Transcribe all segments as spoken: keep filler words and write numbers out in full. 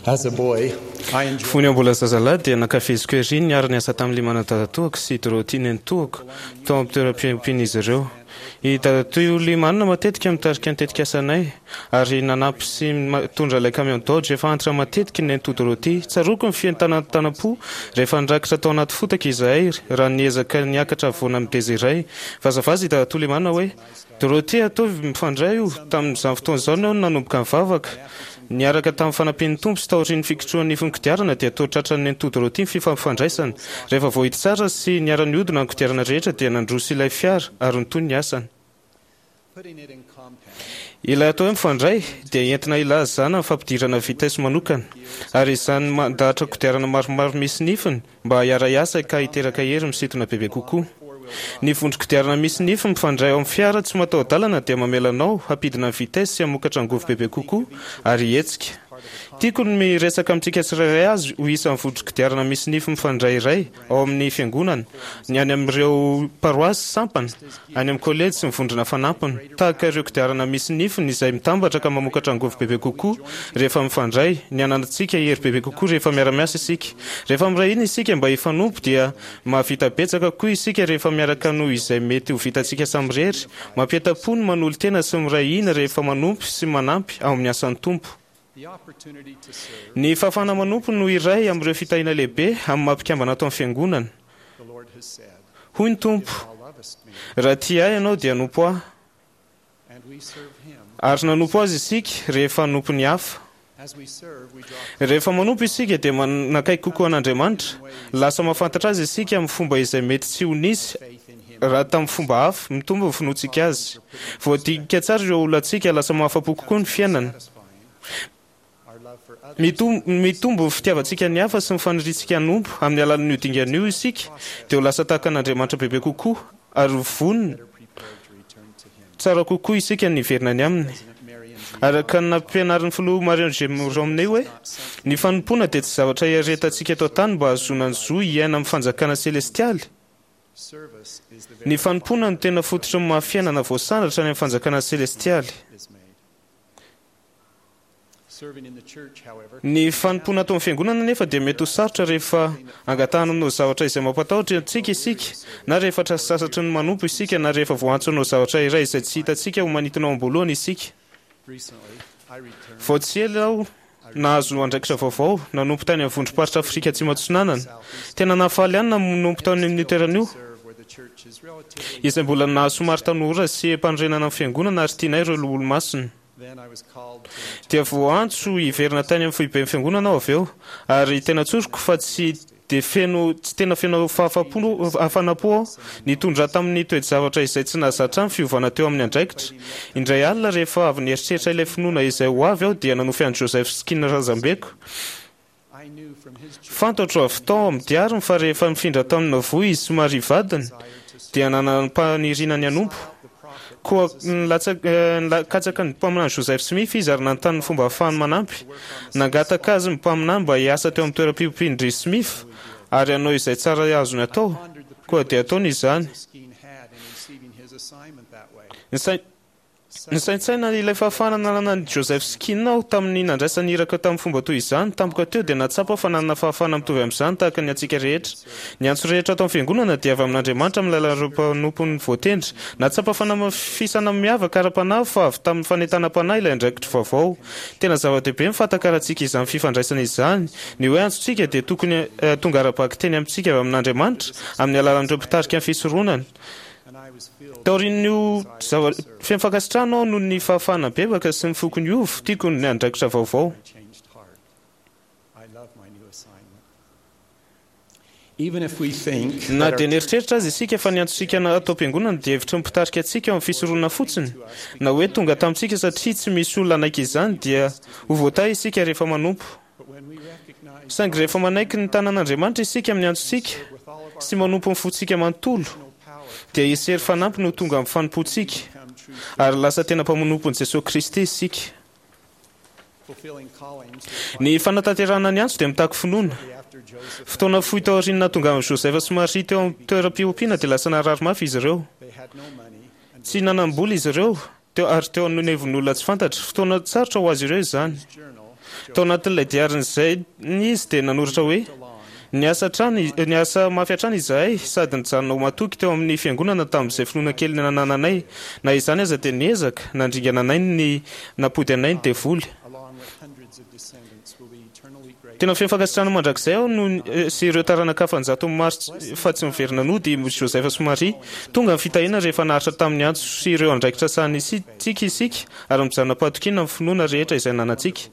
As a boy, I enjoyed Fony aho mbola zazalahy dia nankafiziko ery ny niara-niasa tamin'i Limana dadatoako sy Dorothy nenitoako tao amin'ny toeram-piompian'izy ireo. I dadatoa Limana matetika mitarika ny tetikasanay ary nanampy sy mitondra ilay camion Dodge efa antitra matetika ny nenitoa Dorothy. Tsaroako ny fientanantanam-po rehefa nirakitra tao anaty fotaka izahay raha niezaka niakatra havoana mideza iray. Vazavaza i dadatoa Limana hoe, Dorothy, ataovy mifandray io. Tamin'izany fotoana izany aho no nanomboka nivavaka. Niaraka tamin'ny fanampian'ny Tompo sy taorian'ny fikitrohan'ny nifin'ny kodiarana dia toa tratran'ny nenitoa Dorothy ny fifampifandraisana. Rehefa voahidy tsara sy niara-nihodina ny kodiarana rehetra dia nandroso ilay fiara ary nitohy ny asany. putting it in compound. Ilay atao hoe mifandray dia entina ilazana ny fampidirana vitesse manokana ary izany mandahatra kodiarana maromaro misy nifiny mba hiara-hiasa ka hiteraka hery misintona bebe kokoa. Ny vondron-kodiarana misy nify mifandray ao amin'ny fiara tsy mataho-dalana dia mamela anao hampidina ny vitesse sy hamokatra angovo bebe kokoa ary hihetsika. Tiako ny miresaka amintsika tsirairay azy ho isan'ny vondron-kodiarana misy nify mifandray iray ao amin'ny fiangonana, ny any amin'ireo paroasy, sampana, any amin'ny kolejy sy ny vondrona fanampiny. Tahaka ireo kodiarana misy nifiny izay mitambatra ka mamokatra angovo bebe kokoa rehefa mifandray, ny ananantsika hery bebe kokoa rehefa miara-miasa isika. Rehefa miray hina isika mba hifanompo dia mahavita betsaka kokoa isika rehefa miaraka noho izay mety ho vitantsika samirery. Mampientam-po ny manolo-tena sy miray hina rehefa manompo sy manampy ao amin'ny asan'ny Tompo. The opportunity to serve, Ny fahafahana manompo no iray amin'ireo fitahiana lehibe amin'ny maha mpikambana ato amin'ny fiangonana. the Lord has said, Hoy ny Tompo, If thou lovest me, raha tia ahy ianao dia hanompo ahy. and we serve him. Ary nanompo azy isika rehefa hanompo ny hafa. As we serve, we draw Rehefa manompo isika dia manakaiky kokoa an'Andriamanitra. Lasa mahafantatra azy isika amin'ny fomba izay mety tsy ho nisy faith in him. raha tamin'ny fomba hafa. Mitombo ny finoantsika azy. Voadinika tsara ireo olantsika, lasa mahafa-po kokoa ny fiainana. Satisfying. Our love for others Mitom- Mitombo ny fitiavantsika ny hafa sy ny faniriantsika hanompo. Amin'ny alalan'io dingana io isika dia ho lasa tahaka an'Andriamanitra bebe kokoa ary ho vonona better prepared to return to him. tsara kokoa isika ny hiverina any aminy. President Marion G. Araka ny nampianarin'ny filoha Marion G. Romney hoe ny fanompoana dia tsy zavatra iaretantsika eto an-tany mba hahazoana ny zo hiaina amin'ny fanjakana selestialy. Service is the very Ny fanompoana no tena fototry ny maha fiainana voasandratra any amin'ny fanjakana selestialy. is made. Serving in the church, however, Ny fanompoana ato amin'ny fiangonana nefa dia mety ho sarotra rehefa angatahana hanao zavatra izay mampatahotra antsika isika, na rehefa sasatry ny manompo isika, na rehefa voaantso hanao zavatra iray izay tsy hitantsika ho manintona ao am-boalohany isika. recently I returned Vao tsy ela aho nahazo andraikitra vaovao, nanompo tany amin'ny vondrom-paritra Afrika Atsimo Atsinanana. Tena nahafaly ahy ny nanompo tany amin'io toerana io, serve where the church is relatively izay mbola nahasomary tanora sy mpanorenana ny fiangonana ary tianay ireo olo-masina. Then I was called to Dia voaantso hiverina tany amin'ny foiben'ny fiangonana aho avy eo, ary tena tsoriko fa tsy dia feno tsy tena feno fahafapo hafanam-po aho nitondra tamin'ny toe-javatra izay tsy nahazatra ny fiovana teo amin'ny andraikitra. Indray alina rehefa avy nieritreritra ilay finoana izay ho avy aho dia nanofy an'i Joseph Skeen razambeko. I knew from his journey Fantatro avy tao amin'ny diariny fa rehefa nifindra tao Nauvoo izy sy Maria vadiny dia nanam-paniriana ny hanompo. the prophet Koa nilatsa- eh, nikatsaka ny mpaminany Joseph Smith izy ary nanontany ny fomba ahafahany manampy. Nangataka azy ny mpaminany mba hiasa teo amin'ny toeram-piompian-dry Smith ary hanao izay tsara azony atao. pondered the Koa dia ataony izany. Skeen had in receiving his assignment that way. Nisai- Nisaintsaina ilay fahafahana nananan'i Joseph Skeen aho tamin'ny nandraisany iraka tamin'ny fomba toy izany. Tampoka teo dia nahatsapa fa nanana fahafahana mitovy amin'izany tahaka ny antsika rehetra. Ny antso rehetra ato amin'ny fiangonana dia avy amin'Andriamanitra amin'ny alalan'ireo mpanompony voatendry. Nahatsapa fanamafisana miavaka ara-panahy fa avy tamin'ny fanentanam-panahy ilay andraikitra vaovao. Tena zava-dehibe ny fahatakarantsika izany fifandraisana izany. Ny hoe antsontsika dia tokony eh, tonga ara-bakiteny amintsika avy amin'Andriamanitra amin'ny alalan'ireo mpitarika ny fisoronana. And I was filled Taorian'io zava feno fankasitrahana aho noho ny fahafahana bebaka sy ny foko niova, tiako ny andraikitra vaovao. with a changed heart. I love my new assignment. Even if we think Na that dia our nieritreritra azy isika fa ny antsontsika ato am-piangonana dia hevitry ny mpitarika antsika ao amin'ny fisoronana fotsiny, na hoe tonga tamintsika satria tsy misy olona hanaiky izany, dia ho voatahy isika rehefa manompo. but when we recognize Saingy rehefa manaiky ny tanan'Andriamanitra isika amin'ny antsontsika with all of our sy manompo ny fontsika manontolo, power dia hisy hery fanampiny ho tonga amin'ny fanompoantsika come true ary lasa tena mpanompon'i Jesosy Kristy isika. fulfilling callings Ny fanatanterahana ny antso dia mitaky finoana. after Joseph Fotoana fohy taorian'ny nahatongavan'i Joseph sy Maria teo amin'ny toeram-piompiana dia lasa narary mafy izy ireo. they had no money and Tsy nanam-bola izy ireo teo ary teo anivon'olona tsy fantatra. Fotoana sarotra ho azy ireo izany. journal Tao anatin'ilay diarin'izay izy dia nanoratra hoe: "Niasa hatrany, niasa mafy hatrany izahay sady nijanona ho matoky teo amin'ny fiangonana tamin'izay finoana kely nanananay. Na izany aza dia niezaka nandringana anay ny nampody anay ny devoly. Along with hundreds of descendants, will be eternally grateful." Tena feno fankasitrahana mandrakizay aho no sy ireo taranaka hafa an-jato maro fa tsy miverina nody Joseph sy Maria. Tonga ny fitahiana rehefa naharitra tamin'ny antso sy ireo andraikitra sahanintsika isika ary mijanona am-pahatokiana amin'ny finoana rehetra izay nanantsika.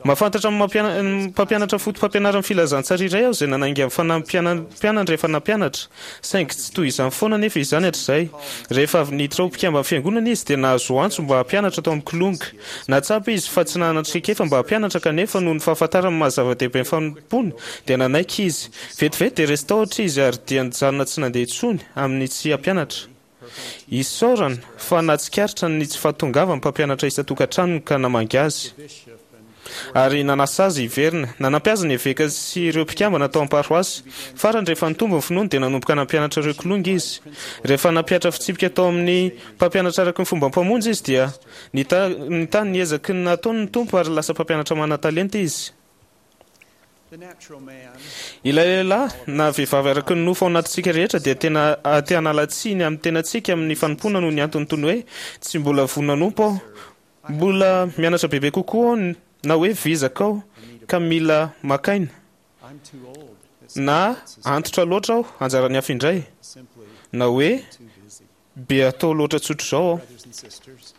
Mahafantatra ny mampiana- ny mpampianatra foto-pampianaran'ny filazantsara iray aho izay nanainga ny fanampianany rehefa nampianatra, saingy tsy toy izany foana nefa izany hatrizay. Rehefa avy niditra ho mpikamba amin'ny fiangonana izy dia nahazo antso mba hampianatra tao amin'ny Kilonga. Nahatsapa izy fa tsy nanana traikefa mba hampianatra, kanefa noho ny fahafantarany ny maha-zava-dehibe ny fanompoana dia nanaiky izy. Vetivety dia resy tahotra izy ary dia nijanona tsy nandeha intsony amin'ny tsy hampianatra. Isaorana fa nahatsikaritra ny tsy fahatongavan'ny mpampianatra isan-tokantranony ka namangy azy ary nanasa azy hiverina. Nanampy azy ny eveka sy ireo mpikambana tao am-paroasy. Farany, rehefa nitombo ny finoany dia nanomboka nampianatra ireo Kilonga izy. Rehefa nampihatra fitsipika tao amin'ny mpampianatra araka ny fomba mpamonjy izy dia nita- nitahy ny ezaky ny nataony ny Tompo ary lasa mpampianatra manan-talenta izy. The natural man Ilay lehilahy na vehivavy araka ny nofo ao anatintsika rehetra dia tena te hanala tsiny amin'ny tenantsika amin'ny fanompoana noho ny antony toy ny hoe tsy mbola vonona hanompo aho, mbola mianatra bebe kokoa aho, na hoe vizaka aho ka mila maka aina, I'm too old. It's na antitra loatra aho, anjaran'ny hafa indray, simply na hoe too busy. be atao loatra tsotra izao aho. Brothers and sisters,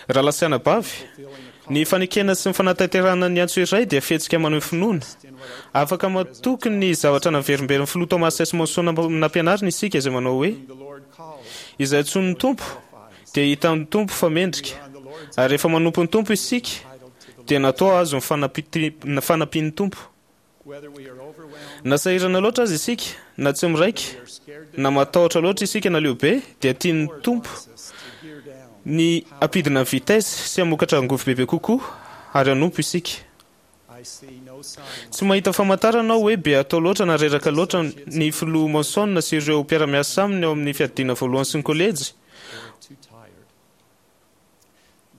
Rahalahy sy anabavy, fulfilling a ny fanekena sy ny fanatanterahana ny antso iray dia fihetsika maneho finoana. in what our Afaka matoky ny zavatra naverimberiny filoha Thomas S. Monson nampianarina isika izay manao hoe: whom the Lord calls "Izay antsoin'ny Tompo qualifies. dia hitan'ny Tompo fa mendrika." On the Lord's Ary rehefa manompo ny Tompo isika entitled to the dia natao azo ny fanampi- ny fanampian'ny Tompo. whether we are overwhelmed, Na sahirana loatra aza isika, na tsy miraika, we are scared to na matahotra loatra isika na leo be, dia tian'ny Lord Tompo wants us to gear down. ny hampidina ny vitesse sy hamokatra angovo bebe kokoa ary hanompo isika. I see no signs Tsy mahita famantarana aho hoe be atao loatra na reraka loatra ny filoha Monson sy ireo mpiara-miasa aminy ao amin'ny fiadiana voalohany sy ny kolejy. or too tired.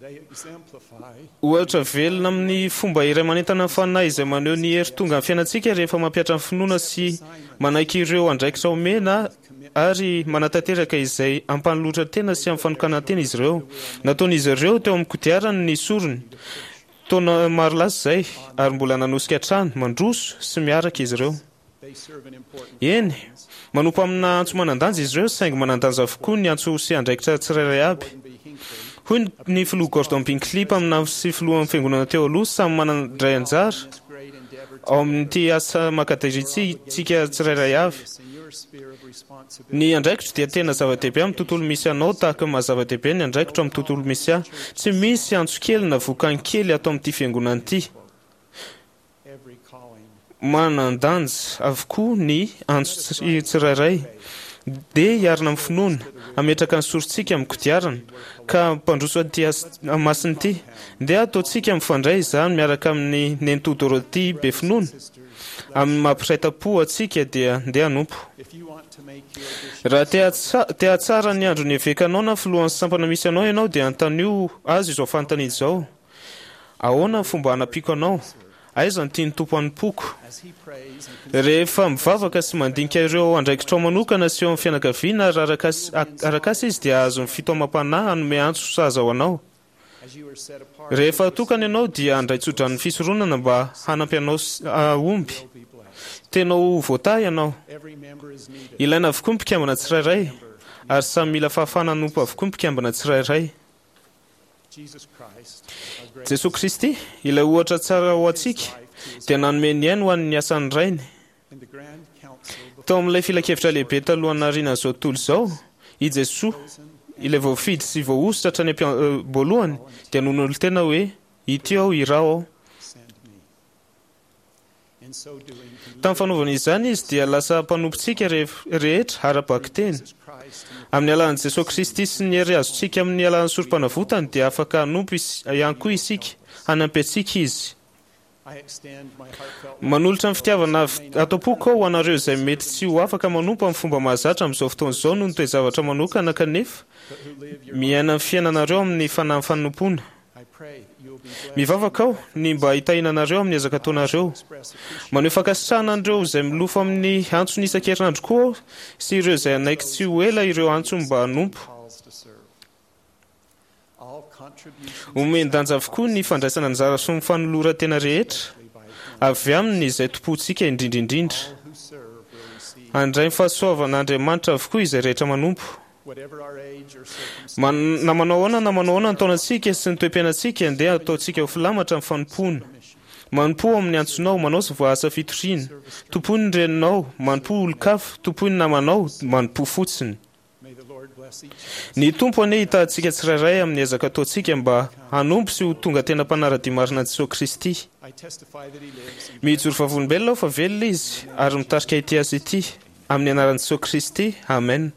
They exemplify Ohatra velona amin'ny fomba iray manentana ny fanahy izay maneho ny hery tonga amin'ny fiainantsika rehefa mampihatra ny finoana sy manaiky ireo andraikitra omena ary manatanteraka izay ampanolotra tena sy amin'ny fanokanan-tena izy ireo. Nataon'izy ireo teo amin'ny kodiarany ny sorony taona maro lasa izay ary mbola nanosika hatrany, mandroso sy miaraka izy ireo. they serve an important Eny, manompo amina antso manan-danja izy ireo, saingy manan-danja avokoa ny antso sy andraikitra tsirairay aby. Gordon B. Hinckley Hoy ny filoha Gordon B. Hinckley mpaminany sy filohan'ny fiangonana teo aloha: "Samy manandray anjara this great endeavor ao amin'ity asa mankadirintsika tsirairay avy. in your sphere of responsibility. Ny andraikitro dia tena zava-dehibe amin'ny tontolo misy anao tahaka ny maha-zava-dehibe ny andraikitro amin'ny tontolo misy ahy. Tsy misy antso kely na vokany kely ato amin'ity fiangonana ity. Every calling Manan-danja avokoa ny antso tsi- tsirairay. Dia hiarina amin'ny finoana, hametraka ny sorontsika amin'ny kodiarana ka mpandroso an'ity asa masina ity. Ndeha ataontsika mifandray izany miaraka amin'ny nenitoa Dorothy be finoana. sisters Amin'ny mampiray tam-po antsika dia ndeha hanompo. if you want to make your bishop Raha te hatsa- te hahatsara ny andron'ny evekanao na filohan'ny sampana misy anao ianao dia antanio azy izao fanontaniana izao: ahoana ny fomba hanampiako anao? Aiza no tian'ny Tompo hanompoako? as he prays and Rehefa mivavaka sy mandinika ireo andraikitrao manokana sy eo amin'ny fianakaviana ary arakas- arakasa izy dia azo ny fitaomam-panahy hanome antso sahaza ho anao. as you are set apart Rehefa atokana ianao dia handray tsodran'ny fisoronana mba hanampy anao s- hahomby. will be blessed. Tena ho voatahy ianao. Every member is needed. Ilaina avokoa ny mpikambana tsirairay ary samy mila fahafahana hanompo avokoa ny mpikambana tsirairay. Jesus Christ, our great Jesosy Kristy, ilay ohatra tsara ho antsika, dia nanome ny ainy ho an'ny asan'ny Rainy. in the grand council Tao amin'ilay filankevitra lehibe talohan'ny nahariana izao tontolo izao, i Jesoa, ilay voafidy sy voahosotra hatrany am-boalohany, dia nanolo-tena hoe: "Ity aho, iraho aho." send me. In so doing, he Tamin'ny fanaovana izany izy dia lasa mpanompontsika re- rehetra ara-bakiteny. Jesus Christ and the Amin'ny alalan'i Jesosy Kristy sy ny hery azontsika amin'ny alalan'ny sorom-panavotany dia afaka hanompo is- ihany koa isika, hanampy antsika izy. I extend my heartfelt Manolotra ny fitiavana avy ato am-poko aho ho anareo izay mety tsy ho afaka manompo amin'ny fomba mahazatra amin'izao fotoana izao noho ny toe-javatra manokana, kanefa but who live your miaina ny fiainanareo amin'ny fanahy fanompoana. I pray that you will Mivavaka aho ny mba hitahiana anareo amin'ny ezaka ataonareo. Maneho fankasitrahana an'ireo izay milofo amin'ny antsony isan-kerinandro koa aho sy ireo izay hanaiky tsy ho ela ireo antso mba hanompo. Calls to serve. All contributions Omen-danja avokoa ny fandraisana anjara sy ny fanoloran-tena rehetra by him. Avy aminy izay tompontsika indrindra indrindra. All who serve will receive, Handray ny fahasoavan'Andriamanitra avokoa izay rehetra manompo. Whatever our age or circumstance. Man- na manao ahoana na manao ahoana ny taonantsika sy ny toe-piainantsika, andeha ataontsika ho filamatra ny fanompoana. Manompo amin'ny antsonao, manao sy voaasa fitoriana. Tompoy ny reninao, manompo olon-kafa, tompoy ny namanao, manompo fotsiny. May the Lord bless each of us. Ny Tompo anie hitahy antsika tsirairay amin'ny ezaka ataontsika mba hanompo sy ho tonga tena mpanara-dia marina an'i Jesosy Kristy. I testify that he lives and Mijoro vavolombelona aho fa velona izy ary mitarika ity asa ity amin'ny anaran'i Jesosy Kristy. Amen.